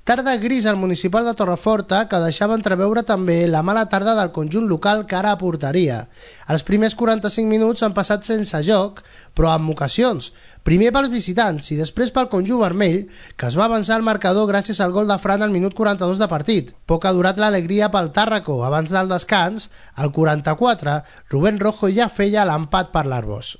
Tarda gris al municipal de Torreforta que deixava entreveure també la mala tarda del conjunt local cara a porteria. Els primers 45 minuts han passat sense joc, però amb ocasions. Primer pels visitants i després pel conjunt vermell, que es va avançar al marcador gràcies al gol de Fran al minut 42 de partit. Poc ha durat l'alegria pel Tàrraco. Abans del descans, al 44, Rubén Rojo ja feia l'empat per l'Arbós.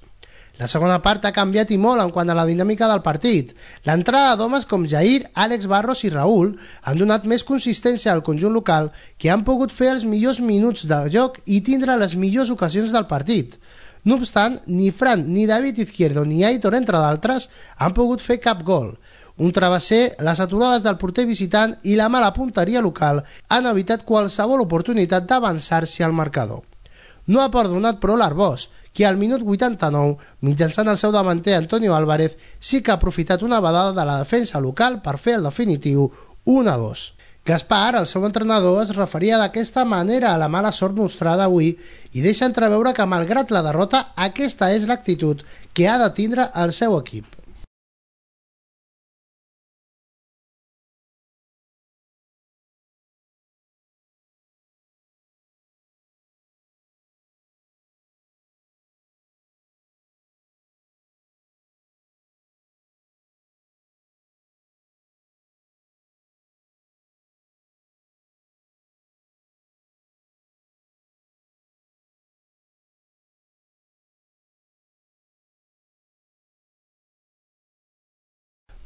La segona part ha canviat i molt en quant a la dinàmica del partit. L'entrada d'homes com Jair, Àlex Barros i Raúl han donat més consistència al conjunt local, que han pogut fer els millors minuts de joc i tindre les millors ocasions del partit. No obstant, ni Fran, ni David Izquierdo, ni Aitor, entre d'altres, han pogut fer cap gol. Un travesser, les aturades del porter visitant i la mala punteria local han evitat qualsevol oportunitat d'avançar-se al marcador. No ha perdonat però l'Arbós, que al minut 89, mitjançant el seu davanter Antonio Álvarez, sí que ha aprofitat una vedada de la defensa local per fer el definitiu 1-2. Gaspar, el seu entrenador, es referia d'aquesta manera a la mala sort mostrada avui i deixa entreveure que, malgrat la derrota, aquesta és l'actitud que ha de tindre el seu equip.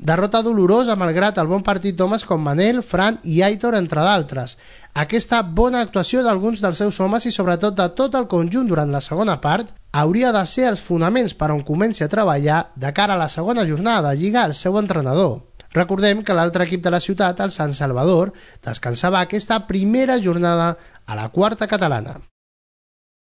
Derrota dolorosa malgrat el bon partit d'homes com Manel, Fran i Aitor, entre d'altres. Aquesta bona actuació d'alguns dels seus homes i sobretot de tot el conjunt durant la segona part hauria de ser els fonaments per on comenci a treballar de cara a la segona jornada de Lliga el seu entrenador. Recordem que l'altre equip de la ciutat, el Sant Salvador, descansava aquesta primera jornada a la quarta catalana.